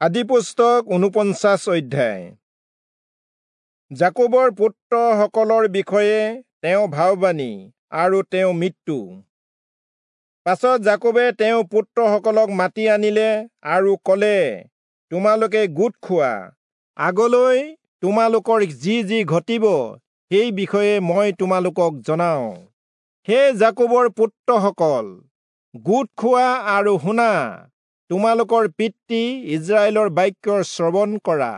আদিপুস্তক 49 অধ্যায়। যাকোবৰ পুত্ৰসকলৰ বিষয়ে তেওঁ ভাববাণী আৰু তেওঁ মৃত্যু। পাছত যাকোবে তেওঁ পুত্ৰসকলক মাতি আনিলে আৰু ক'লে, তোমালোকে গোট খোৱা, আগলৈ তোমালোকৰ যি যি ঘটিব সেই বিষয়ে মই তোমালোকক জনাওঁ। হে যাকোবৰ পুত্ৰসকল, গোট খোৱা আৰু শুনা, তোমালোকৰ পিতৃ ইস্ৰায়েলৰ বাক্যৰ শ্ৰৱণ কৰা।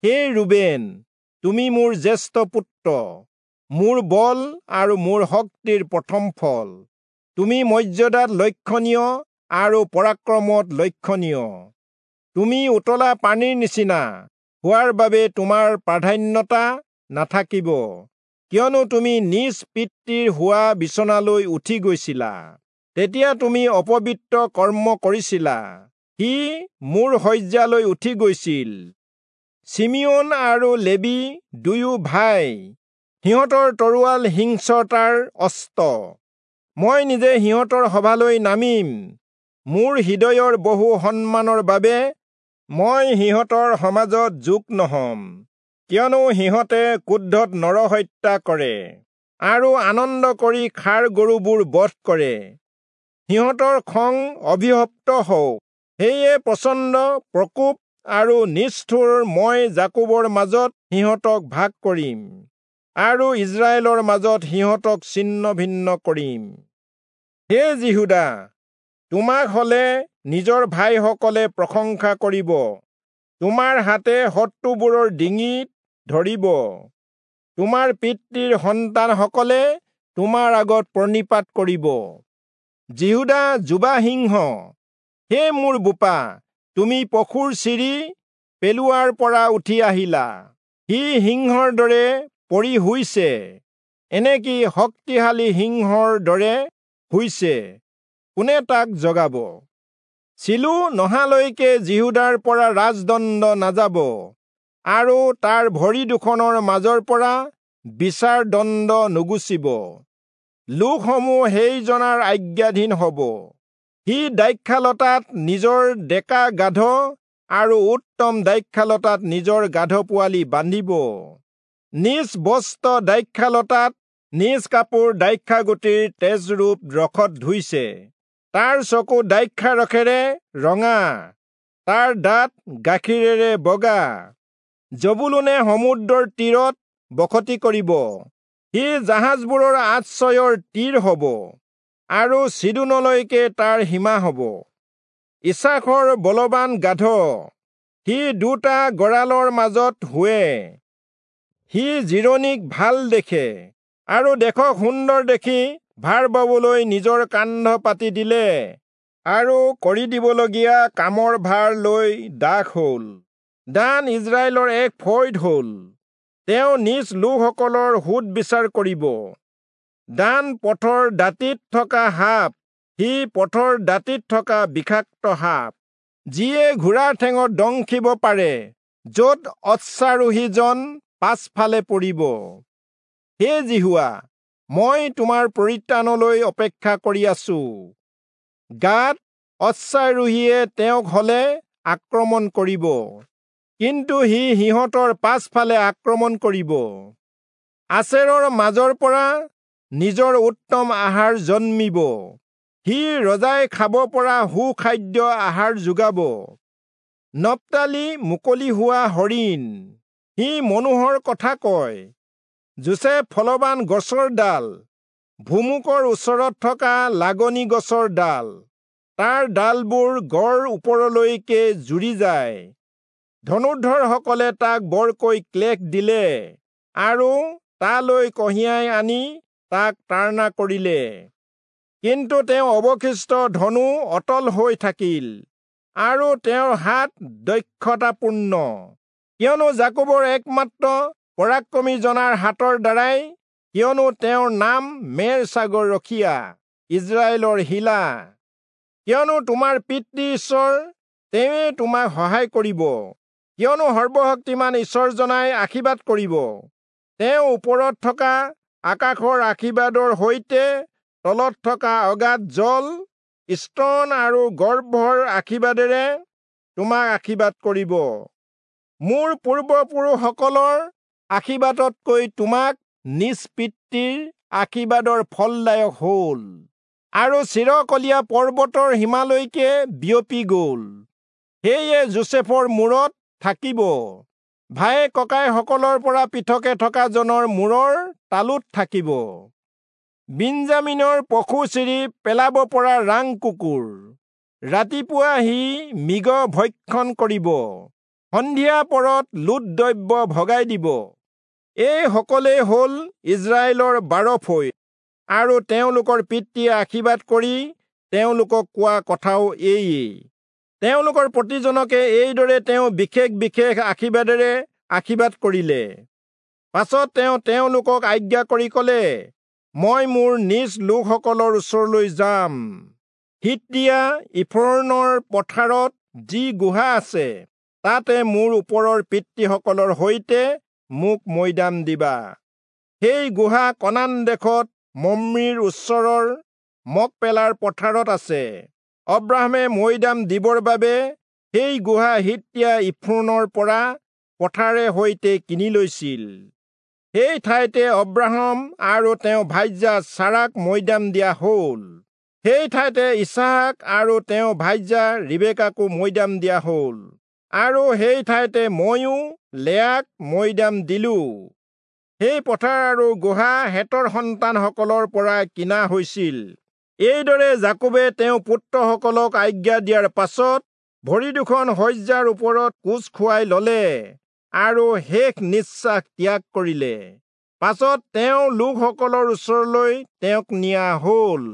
হে ৰুবেন, তুমি মোৰ জ্যেষ্ঠ পুত্ৰ, মোৰ বল আৰু মোৰ শক্তিৰ প্ৰথম ফল। তুমি মৰ্যাদাত লক্ষণীয় আৰু পৰাক্ৰমত লক্ষণীয়। তুমি উতলা পানীৰ নিচিনা হোৱাৰ বাবে তোমাৰ প্ৰাধান্যতা নাথাকিব, কিয়নো তুমি নিজ পিতৃৰ হোৱা বিচনালৈ উঠি গৈছিলা। তেতিয়া তুমি অপবিত্ৰ কৰ্ম কৰিছিলা, সি মোৰ শয্যালৈ উঠি গৈছিল। চিমিয়োন আৰু লেবী দুয়ো ভাই, সিহঁতৰ তৰোৱাল হিংস্ৰতাৰ অস্ত্ৰ। মই নিজে সিহঁতৰ সভালৈ নামিম, মোৰ হৃদয়ৰ বহু সন্মানৰ বাবে মই সিহঁতৰ সমাজত যোগ নহম, কিয়নো সিহঁতে ক্ৰোধত নৰহত্যা কৰে আৰু আনন্দ কৰি ষাঁড় গৰুবোৰ বধ কৰে। সিহঁতৰ খং অভিশপ্ত হওক, সেয়ে প্ৰচণ্ড প্ৰকোপ আৰু নিষ্ঠুৰ মই যাকোবৰ মাজত সিহঁতক ভাগ কৰিম আৰু ইস্ৰায়েলৰ মাজত সিহঁতক ছিন্ন ভিন্ন কৰিম। হে যিহূদা, তোমাক হলে নিজৰ ভাইসকলে প্ৰশংসা কৰিব, তোমাৰ হাতে শত্ৰুবোৰৰ ডিঙিত ধৰিব, তোমাৰ পিতৃৰ সন্তানসকলে তোমাৰ আগত প্ৰণিপাত কৰিব। যিহূদা যুৱা সিংহ, হে মোৰ বোপা, তুমি পশুৰ চিৰি পেলোৱাৰ পৰা উঠি আহিলা। সি সিংহৰ দৰে পৰি শুইছে, এনেকি শক্তিশালী সিংহৰ দৰে শুইছে, কোনে তাক জগাব? চিলো নহালৈকে যিহূদাৰ পৰা ৰাজদণ্ড নাযাব আৰু তাৰ ভৰি দুখনৰ মাজৰ পৰা বিচাৰ দণ্ড নুগুচিব। লোকসমূহ সেইজনাৰ আজ্ঞাধীন হব। সি দ্ৰাক্ষালতাত নিজৰ ডেকা গাধ আৰু উত্তম দ্ৰাক্ষালতাত নিজৰ গাধ পোৱালি বান্ধিব। নিজ বস্ত্ৰ দ্ৰাক্ষালতাত, নিজ কাপোৰ দ্ৰাক্ষাগুটিৰ তেজৰূপ ৰসত ধুইছে। তাৰ চকু দ্ৰাক্ষাৰসেৰে ৰঙা, তাৰ দাঁত গাখীৰেৰে বগা। জবুলূনে সমুদ্ৰৰ তীৰত বসতি কৰিব, সি জাহাজবোৰৰ আশ্ৰয়ৰ তীৰ হব আৰু চিদোনলৈকে তাৰ সীমা হব। ইচাখৰ বলৱান গাধ, সি দুটা গড়ালৰ মাজত শোৱে। সি জিৰণিক ভাল দেখে আৰু দেশক সুন্দৰ দেখি ভাৰ বাবলৈ নিজৰ কান্ধ পাতি দিলে আৰু কৰি দিবলগীয়া কামৰ ভাৰ লৈ দাস হল। দান ইস্ৰায়েলৰ এক ফৈদ হল, তেওঁ নিজ লোকসকলৰ সোধ বিচাৰ কৰিব। দান পথৰ দাঁতিত থকা সাপ, সি পথৰ দাঁতিত থকা বিষাক্ত সাপ, যিয়ে ঘোঁৰাৰ ঠেঙত দংশিব পাৰে, য'ত অশ্বাৰোহীজন পাছফালে পৰিব। হে যিহোৱা, মই তোমাৰ পৰিত্ৰাণলৈ অপেক্ষা কৰি আছো। গাত অশ্বাৰোহীয়ে তেওঁক হলে আক্ৰমণ কৰিব, কিন্তু সি সিহঁতৰ পাছফালে আক্ৰমণ কৰিব। আচেৰৰ মাজৰ পৰা নিজৰ উত্তম আহাৰ জন্মিব, সি ৰজাই খাব পৰা সুখাদ্য আহাৰ যোগাব। নপ্তালি মুকলি হোৱা হৰিণ, সি মনোহৰ কথা কয়। যোচেফ ফলৱান গছৰ ডাল, ভুমুকৰ ওচৰত থকা লাগনি গছৰ ডাল, তাৰ ডালবোৰ গড় ওপৰলৈকে জুৰি যায়। ধনুৰ্ধৰসকলে তাক বৰকৈ ক্লেশ দিলে আৰু তালৈ কঢ়িয়াই আনি তাক তাড়না কৰিলে, কিন্তু তেওঁ অৱশিষ্ট ধনু অটল হৈ থাকিল আৰু তেওঁৰ হাত দক্ষতাপূৰ্ণ, কিয়নো যাকোবৰ একমাত্ৰ পৰাক্ৰমী জনাৰ হাতৰ দ্বাৰাই, কিয়নো তেওঁৰ নাম মেৰ ছাগৰ ৰখীয়া, ইস্ৰায়েলৰ শিলা। কিয়নো তোমাৰ পিতৃ ঈশ্বৰ, তেওঁৱে তোমাক সহায় কৰিব, কিয়নো সৰ্বশক্তিমান ঈশ্বৰজনাই আশীৰ্বাদ কৰিব। তেওঁ ওপৰত থকা আকাশৰ আশীৰ্বাদৰ সৈতে তলত থকা অগাধ জল, স্তন আৰু গৰ্ভৰ আশীৰ্বাদেৰে তোমাক আশীৰ্বাদ কৰিব। মোৰ পূৰ্বপুৰুষসকলৰ আশীৰ্বাদতকৈ তোমাক নিজ পিতৃৰ আশীৰ্বাদৰ ফলদায়ক হ'ল আৰু চিৰকলীয়া পৰ্বতৰ সীমালৈকে বিয়পি গ'ল। সেয়ে যোচেফৰ মূৰত থাকিব, ভায়েক ককাইসকলৰ পৰা পৃথকে থকা জনৰ মূৰৰ তালুত থাকিব। বিঞ্জামিনৰ পশু চিৰি পেলাব পৰা ৰাং কুকুৰ, ৰাতিপুৱা সি মৃগ ভক্ষণ কৰিব, সন্ধিয়া পৰত লুট দ্ৰব্য ভগাই দিব। এই সকলেই হ'ল ইজৰাইলৰ 12 ফৈদ, আৰু তেওঁলোকৰ পিতৃয়ে আশীৰ্বাদ কৰি তেওঁলোকক কোৱা কথাও এয়েই। তেওঁলোকৰ প্ৰতিজনকে এইদৰে তেওঁ বিশেষ বিশেষ আশীৰ্বাদেৰে আশীৰ্বাদ কৰিলে। পাছত তেওঁ তেওঁলোকক আজ্ঞা কৰি ক'লে, মই মোৰ নিজ লোকসকলৰ ওচৰলৈ যাম। হিত্তীয়া ইফ্ৰোনৰ পথাৰত যি গুহা আছে, তাতে মোৰ ওপৰৰ পিতৃসকলৰ সৈতে মোক মৈদাম দিবা। সেই গুহা কনান দেশত মম্ৰিৰ ওচৰৰ মকপেলাৰ পথাৰত আছে। অব্ৰাহামে মৈদাম দিবৰ বাবে সেই গুহা হিত্তীয়া ইফ্ৰোনৰ পৰা পথাৰে সৈতে কিনি লৈছিল। সেই ঠাইতে অব্ৰাহাম আৰু তেওঁ ভাৰ্যা চাৰাক মৈদাম দিয়া হ'ল। সেই ঠাইতে ইছাহাক আৰু তেওঁ ভাৰ্যা ৰিবেকাকো মৈদাম দিয়া হ'ল, আৰু সেই ঠাইতে ময়ো লেয়াক মৈদাম দিলো। সেই পথাৰ আৰু গুহা হেতৰ সন্তানসকলৰ পৰা কিনা হৈছিল। এইদৰে যাকোবে তেওঁ পুত্ৰসকলক আজ্ঞা দিয়াৰ পাছত ভৰি দুখন শয্যাৰ ওপৰত কোঁচ খুৱাই ললে আৰু শেষ নিশ্বাস ত্যাগ কৰিলে। পাছত তেওঁ লোকসকলৰ ওচৰলৈ তেওঁক নিয়া হ'ল।